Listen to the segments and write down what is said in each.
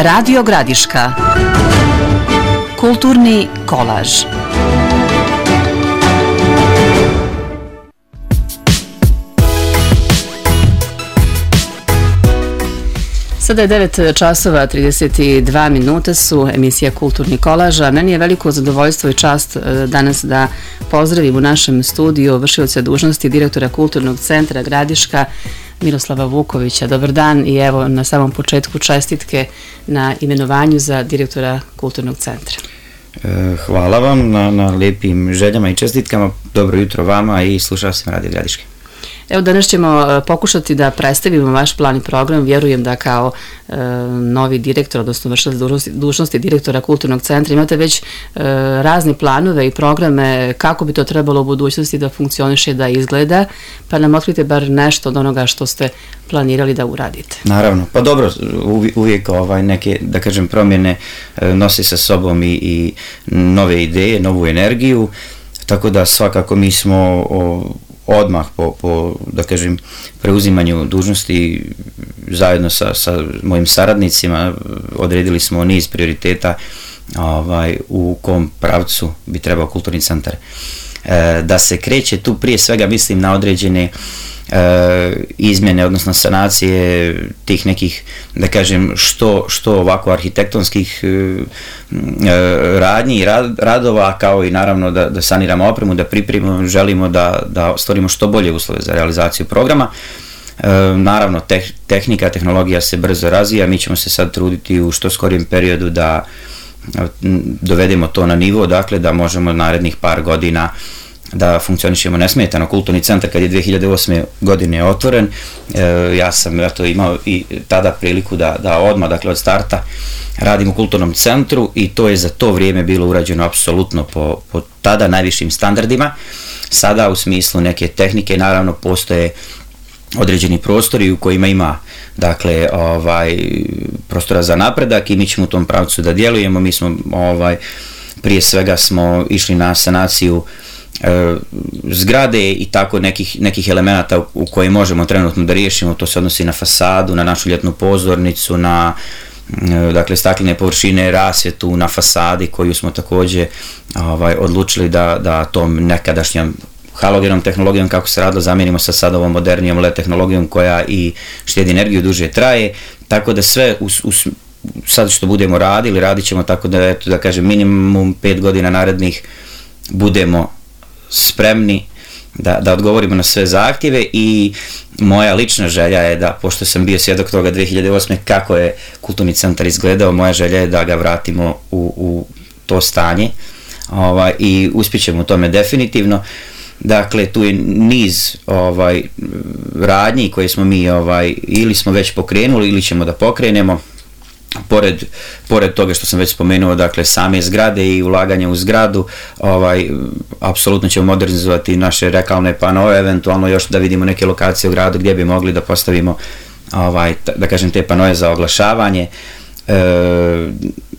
Radio Gradiška. Kulturni kolaž. Sada je 9 časova 32 minuta su emisija Kulturni kolaža. Meni je veliko zadovoljstvo i čast danas da pozdravim u našem studiju vršioca dužnosti direktora Kulturnog centra Gradiška Miroslava Vukovića. Dobar dan i evo na samom početku čestitke na imenovanju za direktora Kulturnog centra. Hvala vam na lijepim željama i čestitkama. Dobro jutro vama i slušao sam Radio Gradiške. Evo danas ćemo pokušati da predstavimo vaš plan i program. Vjerujem da kao novi direktor, odnosno vršilac dužnosti direktora Kulturnog centra imate već razne planove i programe kako bi to trebalo u budućnosti da funkcioniše, da izgleda, pa nam otkrite bar nešto od onoga što ste planirali da uradite. Naravno, pa dobro, uvijek neke, da kažem, promjene nosi sa sobom i nove ideje, novu energiju, tako da svakako mi smo odmah po da kažem, preuzimanju dužnosti zajedno sa mojim saradnicima odredili smo niz prioriteta u kom pravcu bi trebao kulturni centar da se kreće. Tu prije svega mislim na određene izmjene, odnosno sanacije tih nekih, da kažem, što ovako arhitektonskih radnji i radova, kao i naravno da saniramo opremu, da pripremimo, želimo da stvorimo što bolje uslove za realizaciju programa. Naravno, tehnologija se brzo razvija, mi ćemo se sad truditi u što skorijem periodu da dovedemo to na nivo, dakle da možemo narednih par godina da funkcionišemo nesmetano. Kulturni centar kad je 2008. godine otvoren, ja sam imao i tada priliku da odmah, dakle od starta, radim u kulturnom centru i to je za to vrijeme bilo urađeno apsolutno po tada najvišim standardima. Sada u smislu neke tehnike naravno postoje određeni prostori u kojima ima, dakle, prostora za napredak i mi ćemo u tom pravcu da djelujemo. Mi smo prije svega smo išli na sanaciju zgrade i tako nekih elemenata u koje možemo trenutno da riješimo. To se odnosi na fasadu, na našu ljetnu pozornicu, na dakle staklene površine, rasvjetu na fasadi koju smo također odlučili da tom nekadašnjom halogenom tehnologijom kako se radilo zamijenimo sa sad ovom modernijom LED tehnologijom koja i štedi energiju, duže traje, tako da sve sad što budemo radili, radit ćemo tako da kažem minimum 5 godina narednih budemo spremni da odgovorimo na sve zahtjeve. I moja lična želja je da, pošto sam bio svjedok toga 2008. kako je kulturni centar izgledao, moja želja je da ga vratimo u to stanje i uspjećemo u tome definitivno. Dakle, tu je niz radnji koje smo mi ili smo već pokrenuli ili ćemo da pokrenemo. Pored toga što sam već spomenuo, dakle, same zgrade i ulaganje u zgradu, apsolutno ćemo modernizovati naše reklamne panoe, eventualno još da vidimo neke lokacije u gradu gdje bi mogli da postavimo, da kažem, te panoe za oglašavanje.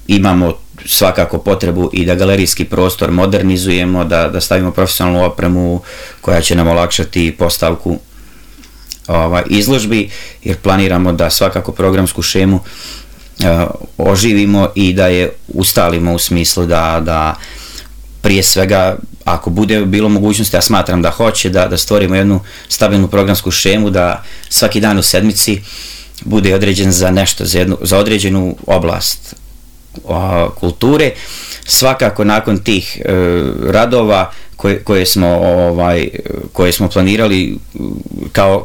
Imamo svakako potrebu i da galerijski prostor modernizujemo, da stavimo profesionalnu opremu koja će nam olakšati postavku izložbi, jer planiramo da svakako programsku šemu oživimo i da je ustalimo u smislu da prije svega, ako bude bilo mogućnosti, ja smatram da hoće, da stvorimo jednu stabilnu programsku šemu, da svaki dan u sedmici bude određen za nešto, za određenu oblast kulture. Svakako nakon tih radova koje smo planirali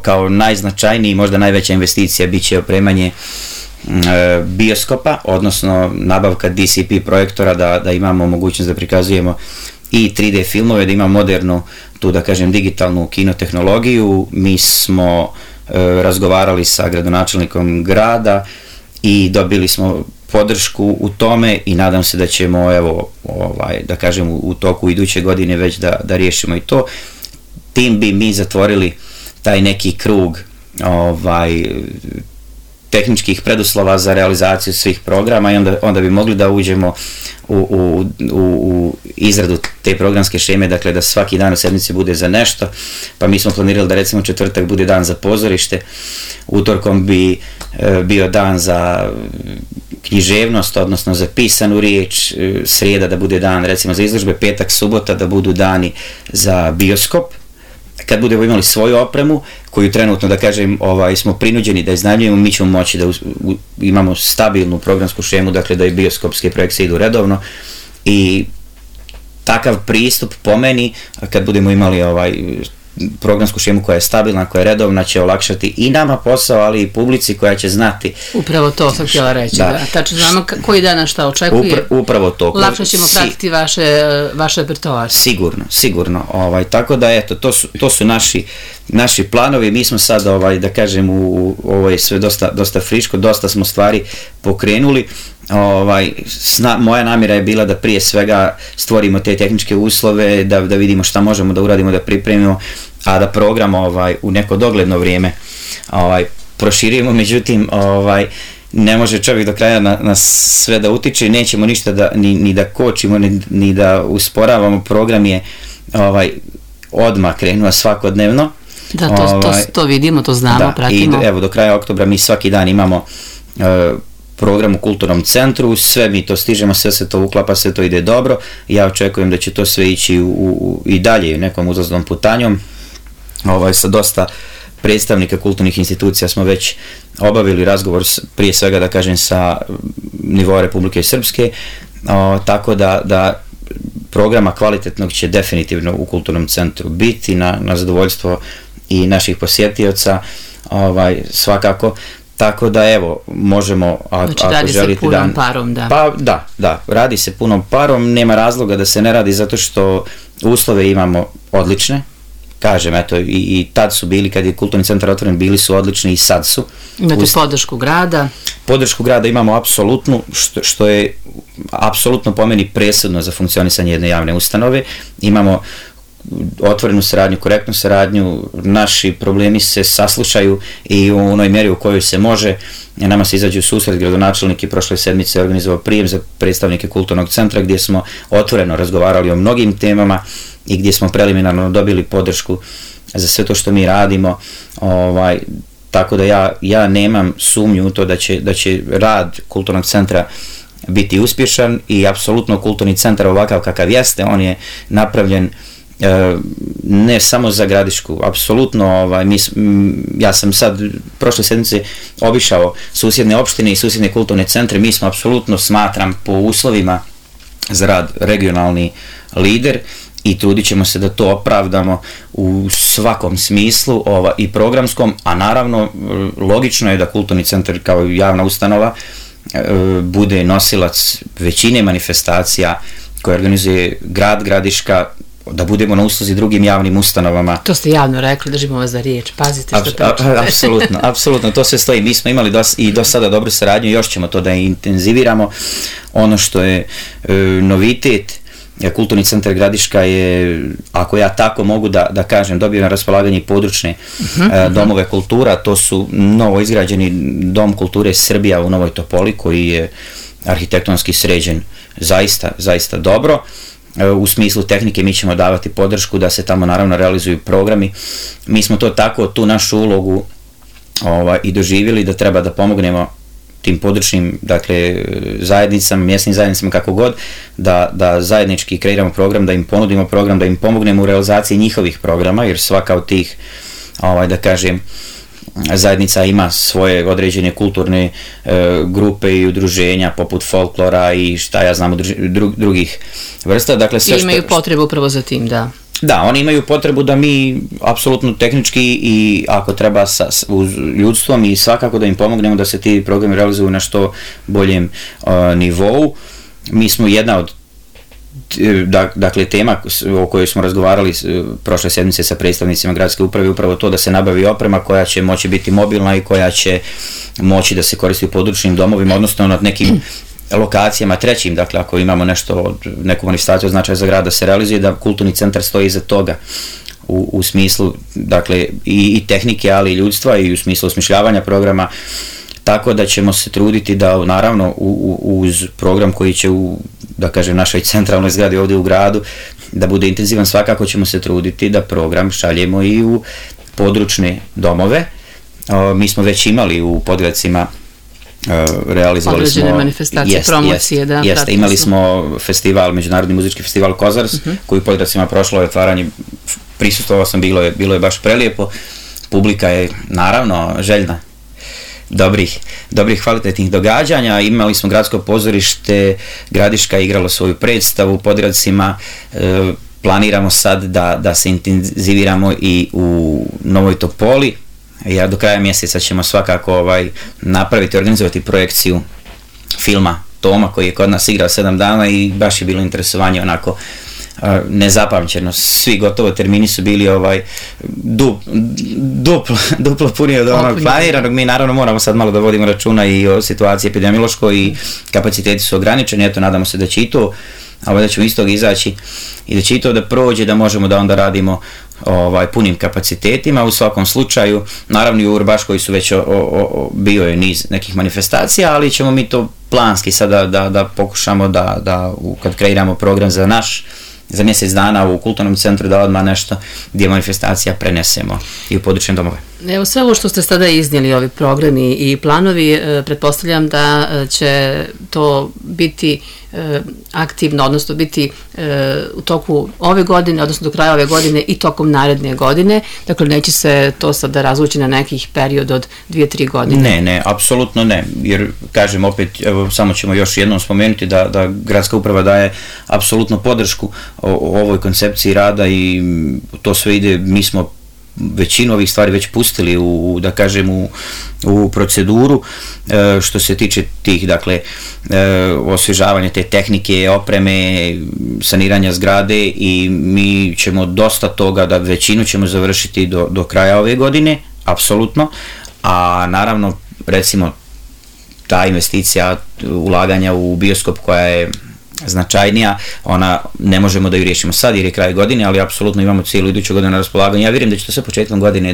kao najznačajniji, možda najveća investicija bit će opremanje bioskopa, odnosno nabavka DCP projektora, da imamo mogućnost da prikazujemo i 3D filmove, da imamo modernu, tu da kažem, digitalnu kinotehnologiju. Mi smo razgovarali sa gradonačelnikom grada i dobili smo podršku u tome i nadam se da ćemo, da kažem, u toku iduće godine već da riješimo i to. Tim bi mi zatvorili taj neki krug tehničkih preduslova za realizaciju svih programa i onda bi mogli da uđemo u izradu te programske šeme, dakle da svaki dan u sedmici bude za nešto. Pa mi smo planirali da recimo četvrtak bude dan za pozorište, utorkom bi bio dan za književnost, odnosno za pisanu riječ, srijeda da bude dan recimo za izložbe, petak, subota da budu dani za bioskop. Kad budemo imali svoju opremu, koju trenutno, da kažem, smo prinuđeni da iznajmljujemo, mi ćemo moći da imamo stabilnu programsku šemu, dakle da i bioskopske projekcije idu redovno i takav pristup po meni, kad budemo imali programsku šemu koja je stabilna, koja je redovna, će olakšati i nama posao, ali i publici koja će znati. Upravo to sam htjela reći, da. Tačno znamo koji dan šta očekuje. Upravo to. Lakše ćemo pratiti vaš repertoar. Sigurno. Tako da, eto, to su naši planovi. Mi smo sad, da kažem, ovo je sve dosta friško, dosta smo stvari pokrenuli. Moja namjera je bila da prije svega stvorimo te tehničke uslove, da vidimo šta možemo da uradimo, da pripremimo, a da program u neko dogledno vrijeme proširimo. Međutim, ne može čovjek do kraja na sve da utiče, nećemo ništa ni da kočimo, ni da usporavamo. Program je odmah krenuo svakodnevno. Da, to vidimo, to znamo, pratimo. I evo, do kraja oktobra mi svaki dan imamo program u kulturnom centru, sve mi to stižemo, sve se to uklapa, sve to ide dobro. Ja očekujem da će to sve ići i dalje nekom uzlaznom putanjom. Sa dosta predstavnika kulturnih institucija smo već obavili razgovor, prije svega da kažem sa nivoa Republike Srpske, tako da programa kvalitetnog će definitivno u kulturnom centru biti na zadovoljstvo i naših posjetioca, svakako. Tako da, evo, možemo, znači, ako želite... Znači, radi se punom parom, da. Pa, da, radi se punom parom, nema razloga da se ne radi, zato što uslove imamo odlične. Kažem, eto, i tad su bili, kad je kulturni centar otvoren, bili su odlični i sad su. Imate podršku grada? Podršku grada imamo apsolutnu, što je apsolutno po meni presudno za funkcionisanje jedne javne ustanove. Imamo otvorenu saradnju, korektnu saradnju, naši problemi se saslušaju i u onoj mjeri u kojoj se može. Nama se izađu u susret, gradonačelnik i prošle sedmice organizovao prijem za predstavnike kulturnog centra gdje smo otvoreno razgovarali o mnogim temama i gdje smo preliminarno dobili podršku za sve to što mi radimo. Tako da ja nemam sumnju u to da će rad kulturnog centra biti uspješan i apsolutno kulturni centar ovakav kakav jeste, on je napravljen ne samo za Gradišku, apsolutno, ja sam sad prošle sedmice obišao susjedne opštine i susjedne kulturne centre, mi smo apsolutno, smatram, po uslovima za rad regionalni lider i trudit ćemo se da to opravdamo u svakom smislu i programskom, a naravno logično je da kulturni centar kao javna ustanova bude nosilac većine manifestacija koje organizuje grad, Gradiška, da budemo na usluzi drugim javnim ustanovama. To ste javno rekli, držimo vas za riječ, pazite što pričate. Apsolutno, to sve stoji. Mi smo imali i do sada dobru saradnju, još ćemo to da intenziviramo. Ono što je novitet, kulturni centar Gradiška je, ako ja tako mogu da kažem, dobio na raspolaganje i područne domove kultura, to su novo izgrađeni Dom kulture Srbija u Novoj Topoli, koji je arhitektonski sređen zaista dobro. U smislu tehnike mi ćemo davati podršku da se tamo naravno realizuju programi. Mi smo to tako, tu našu ulogu i doživjeli da treba da pomognemo tim područnim, dakle, zajednicama, mjesnim zajednicama, kako god, da zajednički kreiramo program, da im ponudimo program, da im pomognemo u realizaciji njihovih programa, jer svaka od tih, da kažem, zajednica ima svoje određene kulturne grupe i udruženja poput folklora i šta ja znam drugih vrsta. Dakle, sve i imaju potrebu upravo za tim, da. Da, oni imaju potrebu da mi apsolutno tehnički i ako treba uz ljudstvom i svakako da im pomognemo da se ti programi realizuju na što boljem nivou. Mi smo jedna od dakle tema o kojoj smo razgovarali prošle sedmice sa predstavnicima gradske uprave, upravo to da se nabavi oprema koja će moći biti mobilna i koja će moći da se koristi u područnim domovima, odnosno nad nekim lokacijama trećim, dakle ako imamo neku manifestaciju od značaja za grad da se realizuje, da kulturni centar stoji iza toga u smislu, dakle, i tehnike, ali i ljudstva i u smislu osmišljavanja programa. Tako da ćemo se truditi da naravno uz program koji će da kažem, našoj centralnoj zgradi ovdje u gradu da bude intenzivan, svakako ćemo se truditi da program šaljemo i u područne domove. Mi smo već imali u Podgradcima realizovali određene manifestacije, promocije, da. Jeste, imali smo festival, Međunarodni muzički festival Kozars, koji u Podgoricama prošlo je otvaranje, prisustvovao sam, bilo je baš prelijepo, publika je naravno željna dobrih kvalitetnih događanja. Imali smo gradsko pozorište, Gradiška je igralo svoju predstavu u Podgoricama, planiramo sad da se intenziviramo i u Novoj Topoli. Ja do kraja mjeseca ćemo svakako napraviti, organizovati projekciju filma Toma koji je kod nas igrao 7 dana i baš je bilo interesovanje onako nezapamćeno. Svi gotovo termini su bili duplo puni od onog planiranog. Mi naravno moramo sad malo da vodimo računa i o situaciji epidemiološkoj i kapaciteti su ograničeni. Eto, nadamo se da će i to, da ćemo iz toga izaći i da će i to da prođe, da možemo da onda radimo punim kapacitetima. U svakom slučaju, naravno i u Urbaškoj su već bio je niz nekih manifestacija, ali ćemo mi to planski sada da pokušamo da kad kreiramo program za mjesec dana u kulturnom centru da odmah nešto gdje manifestacija prenesemo i u područne domove. Evo, sve ovo što ste sada iznijeli, ovi programi i planovi, pretpostavljam da će to biti aktivno, odnosno biti u toku ove godine, odnosno do kraja ove godine i tokom naredne godine, dakle neće se to sada razvući na nekih period od 2-3 godine. Ne, apsolutno ne, jer kažem opet, evo samo ćemo još jednom spomenuti da gradska uprava daje apsolutno podršku ovoj koncepciji rada i to sve ide, mi smo većinu ovih stvari već pustili u proceduru. Što se tiče tih, dakle, osvježavanja te tehnike, opreme, saniranja zgrade, i mi ćemo dosta toga, da većinu ćemo završiti do kraja ove godine, apsolutno, a naravno, recimo, ta investicija ulaganja u bioskop koja je značajnija, ona ne možemo da ju riješimo sad jer je kraj godine, ali apsolutno imamo cijelu iduću godinu na raspolaganju. Ja vjerujem da će to sve početkom godine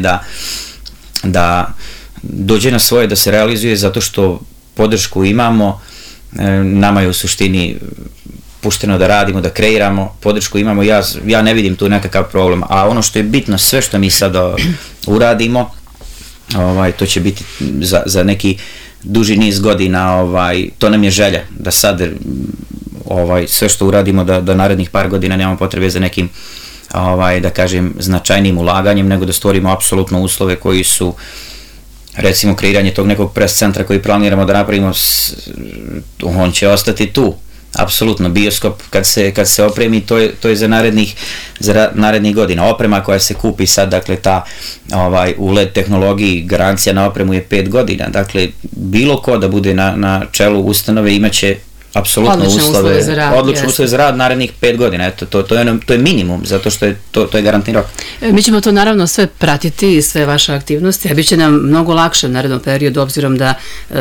da dođe na svoje, da se realizuje, zato što podršku imamo, nama je u suštini pušteno da radimo, da kreiramo, podršku imamo, ja ne vidim tu nekakav problem, a ono što je bitno, sve što mi sad uradimo, to će biti za neki duži niz godina, to nam je želja, da sad sve što uradimo da narednih par godina nemamo potrebe za nekim, da kažem, značajnim ulaganjem, nego da stvorimo apsolutno uslove koji su, recimo, kreiranje tog nekog pres centra koji planiramo da napravimo, on će ostati tu, apsolutno. Bioskop kad se opremi, to je za narednih godina. Oprema koja se kupi sad, dakle, ta u LED tehnologiji, garancija na opremu je 5 godina, dakle, bilo ko da bude na čelu ustanove imaće apsolutno odlične uslove za rad narednih 5 godina. Eto, to je minimum, zato što je to je garantni rok. Mi ćemo to naravno sve pratiti i sve vaše aktivnosti, a bit će nam mnogo lakše u narednom periodu, obzirom da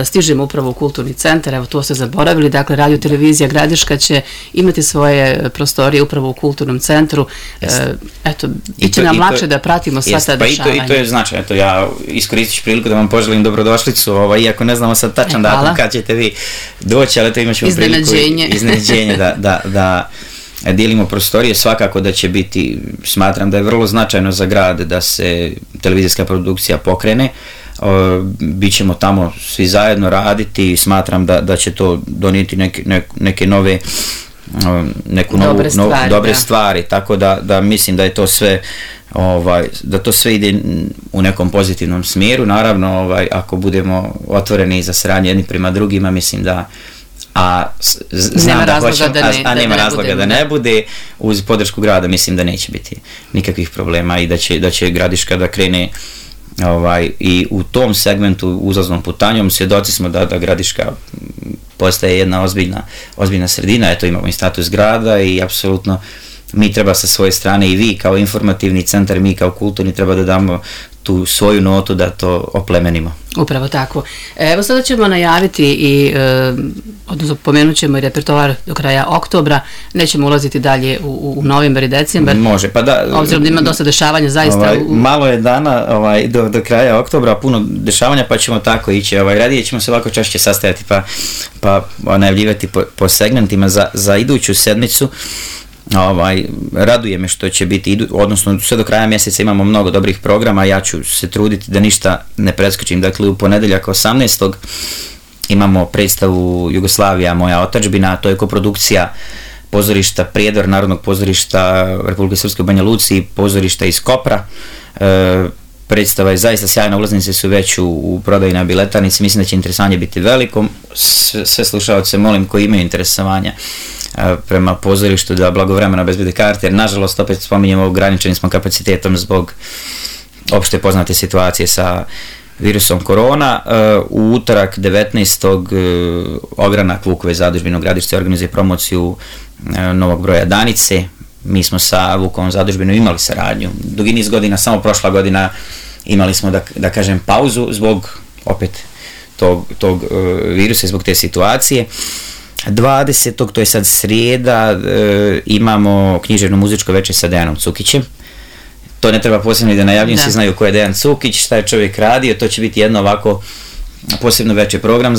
stižemo upravo u kulturni centar. Evo, to ste zaboravili, dakle, Radio Televizija Gradiška će imati svoje prostorije upravo u kulturnom centru. Eto, bit će nam lakše da pratimo sva ta dešavanja. I to je značajno. Eto, ja iskoristit ću priliku da vam poželim dobrodošlicu, iako ne znamo sad tačan datum kad ćete vi doći, ali to imat ćemo iznenađenje da dijelimo prostorije. Svakako da će biti, smatram da je vrlo značajno za grad da se televizijska produkcija pokrene, bićemo tamo svi zajedno raditi, smatram da će to donijeti neke nove, dobre stvari, tako da mislim da je to sve, da to sve ide u nekom pozitivnom smjeru. Naravno, ako budemo otvoreni za saradnju jedni prema drugima, mislim da nema razloga da ne bude, uz podršku grada mislim da neće biti nikakvih problema i da će Gradiška da krene i u tom segmentu uzlaznom putanjom. Svjedoci smo da Gradiška postaje jedna ozbiljna sredina, eto, imamo i status grada i apsolutno mi treba sa svoje strane, i vi kao informativni centar, mi kao kulturni, treba da damo tu svoju notu da to oplemenimo. Upravo tako. Evo, sada ćemo najaviti odnosno pomenut ćemo i repertoar do kraja oktobra, nećemo ulaziti dalje u novembar i decembar. Može, pa da. Obzirom da ima dosta dešavanja, zaista. Malo je dana do kraja oktobra, puno dešavanja, pa ćemo tako ići. Radije ćemo se ovako češće sastajati pa najavljivati po segmentima za iduću sedmicu. Raduje me što će biti, odnosno sve do kraja mjeseca imamo mnogo dobrih programa, ja ću se truditi da ništa ne preskočim. Dakle, u ponedjeljak 18. imamo predstavu Jugoslavija, moja otadžbina, to je koprodukcija pozorišta Prijedor, Narodnog pozorišta Republike Srpske u Banja Luci i pozorišta iz Kopra. Predstava je zaista sjajna, ulaznice su već u prodaji na biletarnici, mislim da će interesovanje biti veliko. Sve slušalce molim koji imaju interesovanja prema pozorištu da blagovremeno obezbede karte, jer nažalost opet spominjemo ograničeni smo kapacitetom zbog opšte poznate situacije sa virusom korona. U utorak 19. ogranak Vukove zadužbine u Gradišci organizuje promociju novog broja Danice. Mi smo sa Vukovom zadužbinom imali saradnju dugi niz godina, samo prošla godina imali smo da kažem pauzu zbog opet tog virusa, zbog te situacije. 20. to je sad srijeda, imamo književno muzičko večer sa Dejanom Cukićem. To ne treba posebno da najavljam, svi znaju ko je Dejan Cukić, šta je čovjek radio, to će biti jedno ovako posebno veći program,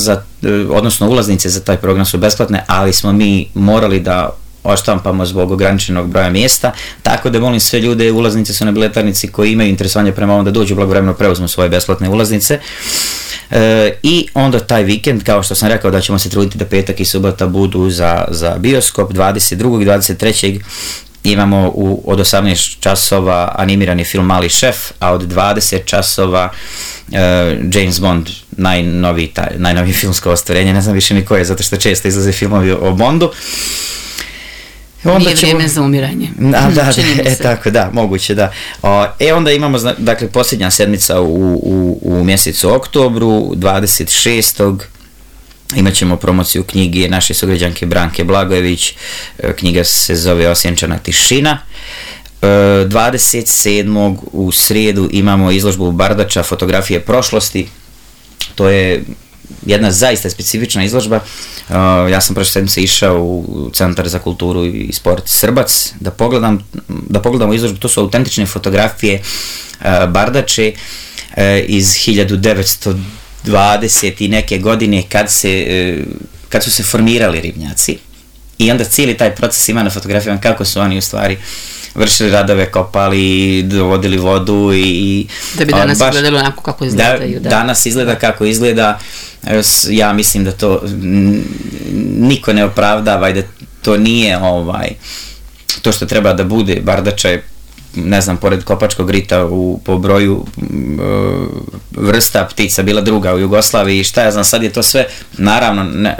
odnosno ulaznice za taj program su besplatne, ali smo mi morali da oštampamo zbog ograničenog broja mjesta, tako da molim sve ljude, ulaznice su na biletarnici koji imaju interesovanje prema ovom da dođu blagovremeno preuzmu svoje besplatne ulaznice. I onda taj vikend, kao što sam rekao da ćemo se truditi da petak i subota budu za bioskop, 22. i 23. imamo od 18 časova animirani film Mali šef, a od 20 časova James Bond, najnovije filmsko ostvarenje, ne znam više ni koje, zato što često izlaze filmovi o Bondu. Nije vrijeme za umiranje. Tako da, moguće da. Onda imamo, dakle, posljednja sedmica u mjesecu oktobru, 26. imat ćemo promociju knjige naše sugrađanke Branke Blagojević, knjiga se zove Osjenčana tišina. 27. u srijedu imamo izložbu Bardača, fotografije prošlosti, to je jedna zaista specifična izložba. Ja sam prošle sedmice išao u Centar za kulturu i sport Srbac da pogledamo izložbu. To su autentične fotografije Bardače iz 1920 i neke godine kad su se formirali ribnjaci, i onda cijeli taj proces ima na fotografijama kako su oni u stvari vršili radove, kopali, dovodili vodu i da bi danas izgledalo onako kako izgledaju. Danas izgleda kako izgleda. Ja mislim da to niko ne opravdava i da to nije to što treba da bude. Bardača je, ne znam, pored Kopačkog rita po broju vrsta ptica bila druga u Jugoslaviji i šta ja znam, sad je to sve, naravno,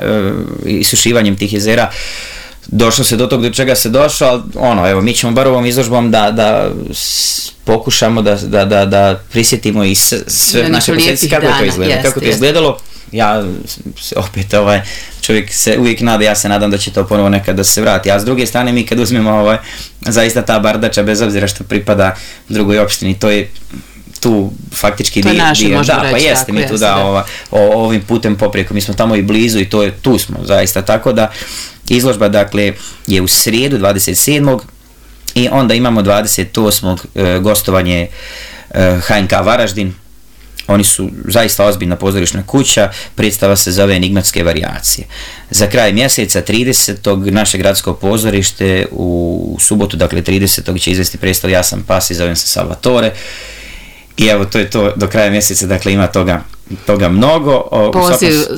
isušivanjem tih jezera došlo se do tog do čega se došlo, ali evo, mi ćemo bar ovom izložbom da pokušamo da prisjetimo i sve naše posljedice kako to izgledalo. Ja opet, čovjek se uvijek nada, ja se nadam da će to ponovo nekad da se vrati, a s druge strane mi kad uzmemo zaista ta Bardača, bez obzira što pripada drugoj opštini, to je tu faktički to je naše, možemo reći. Pa jeste, mi tu ovim putem poprijeko, mi smo tamo i blizu i tu smo zaista, tako da izložba, dakle, je u srijedu 27. i onda imamo 28. gostovanje HNK Varaždin. Oni su zaista ozbiljna pozorišna kuća, predstava se zove Enigmatske varijacije. Za kraj mjeseca 30. naše gradsko pozorište u subotu, dakle 30. će izvesti predstavu Ja sam pas i zovem se Salvatore. I evo, to je to do kraja mjeseca, dakle ima toga mnogo.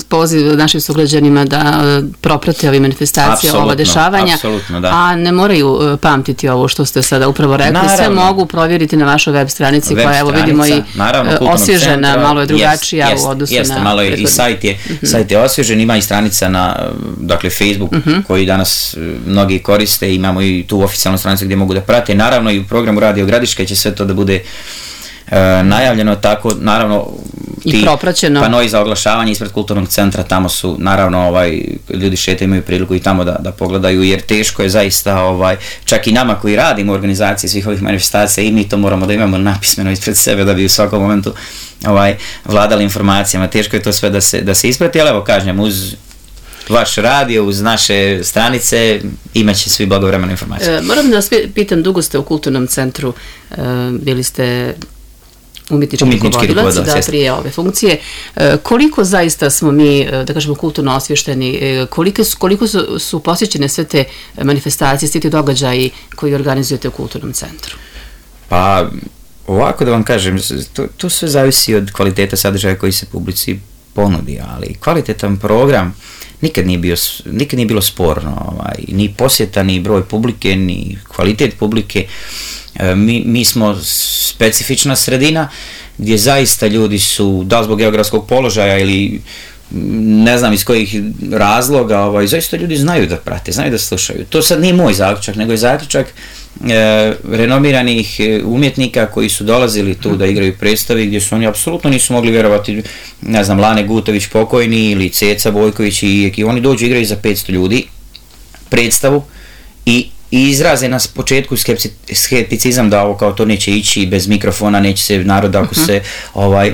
Poziv našim sugrađanima da proprate ove manifestacije, ova dešavanja, a ne moraju pamtiti ovo što ste sada upravo rekli. Naravno. Sve mogu provjeriti na vašoj web stranici koja, evo vidimo, i osvježena, malo je drugačija u odnosu na... Jeste, malo je i sajt je osvježen, ima i stranica na, dakle, Facebook koji danas mnogi koriste, imamo i tu oficijalnu stranicu gdje mogu da prate. Naravno i u programu Radio Gradiška će sve to da bude najavljeno, tako, naravno, ti panoi za oglašavanje ispred kulturnog centra, tamo su, naravno, ljudi šetaju, imaju priliku i tamo da pogledaju, jer teško je zaista, čak i nama koji radimo u organizaciji svih ovih manifestacija, i mi to moramo da imamo napismeno ispred sebe da bi u svakom momentu vladali informacijama, teško je to sve da se isprati, ali evo, kažem, uz vaš radio, uz naše stranice, imaće svi blagovremene informacije. Moram da vas pitam, dugo ste u kulturnom centru, bili ste umjetnički rukovodilac, da, prije ove funkcije. Koliko zaista smo mi, da kažemo, kulturno osvješteni, koliko su posjećene sve te manifestacije, svi ti događaji koji organizujete u kulturnom centru? Pa, ovako da vam kažem, to sve zavisi od kvaliteta sadržaja koji se publici ponudi, ali kvalitetan program nikad nije bilo sporno, ni posjeta, ni broj publike, ni kvalitet publike. Mi smo specifična sredina gdje zaista ljudi su, da zbog geografskog položaja ili ne znam iz kojih razloga, zaista ljudi znaju da prate, znaju da slušaju. To sad nije moj zaključak, nego je zaključak renomiranih umjetnika koji su dolazili tu da igraju predstavi gdje su oni apsolutno nisu mogli vjerovati, ne znam, Lane Gutović pokojni ili Ceca Bojković i oni dođu igraju za 500 ljudi predstavu i izraze na početku skepticizam da ovo kao to neće ići bez mikrofona, neće se narod ako se,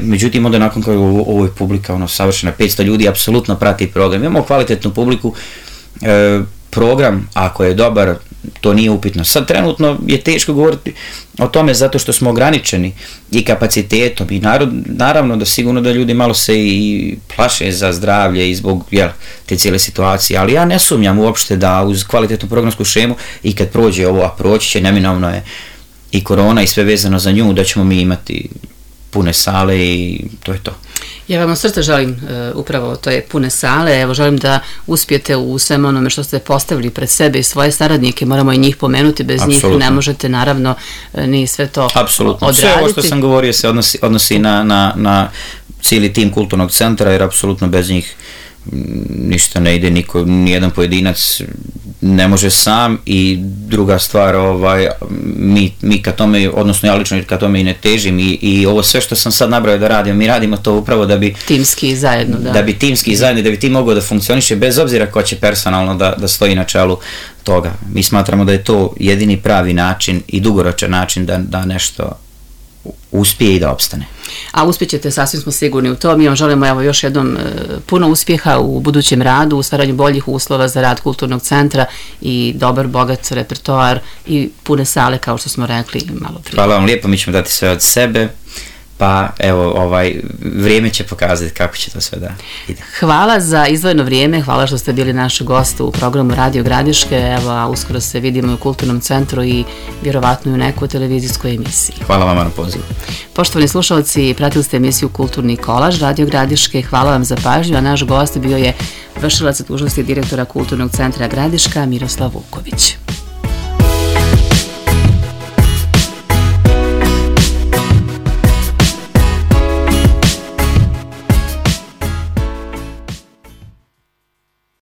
međutim onda nakon koja ovo je publika savršena, 500 ljudi apsolutno prati program, imamo kvalitetnu publiku, program ako je dobar, to nije upitno. Sad trenutno je teško govoriti o tome zato što smo ograničeni i kapacitetom i naravno da sigurno da ljudi malo se i plaše za zdravlje i zbog te cijele situacije, ali ja ne sumnjam uopšte da uz kvalitetnu programsku šemu i kad prođe ovo, a proći će, neminovno je i korona i sve vezano za nju, da ćemo mi imati pune sale i to je to. Ja vam od srca želim upravo to je pune sale, evo želim da uspijete u svem onome što ste postavili pred sebe i svoje saradnike, moramo i njih pomenuti, bez njih ne možete naravno ni sve to odraditi. Sve ovo što sam govorio se odnosi na cijeli tim kulturnog centra, jer apsolutno bez njih ništa ne ide, nijedan pojedinac ne može sam i druga stvar, mi ka tome, odnosno ja lično ka tome i ne težim i ovo sve što sam sad nabrao da radimo, mi radimo to upravo da bi timski zajedno, da bi timski zajedno, da bi tim mogao da funkcioniše bez obzira ko će personalno da stoji na čelu toga. Mi smatramo da je to jedini pravi način i dugoročan način da nešto uspije i da opstane. A uspjećete, sasvim smo sigurni u to. Mi vam želimo evo još jednom puno uspjeha u budućem radu, u stvaranju boljih uslova za rad kulturnog centra i dobar, bogat repertoar i pune sale, kao što smo rekli malo prije. Hvala vam lijepo, mi ćemo dati sve od sebe, pa evo, vrijeme će pokazati kako će to sve da ide. Hvala za izdvojeno vrijeme, hvala što ste bili naš gost u programu Radio Gradiške, evo, a uskoro se vidimo u Kulturnom centru i vjerovatno u nekoj televizijskoj emisiji. Hvala vam na pozivu. Poštovani slušalci, pratili ste emisiju Kulturni kolaž Radio Gradiške, hvala vam za pažnju, a naš gost bio je vršilac dužnosti direktora Kulturnog centra Gradiška Miroslav Vuković.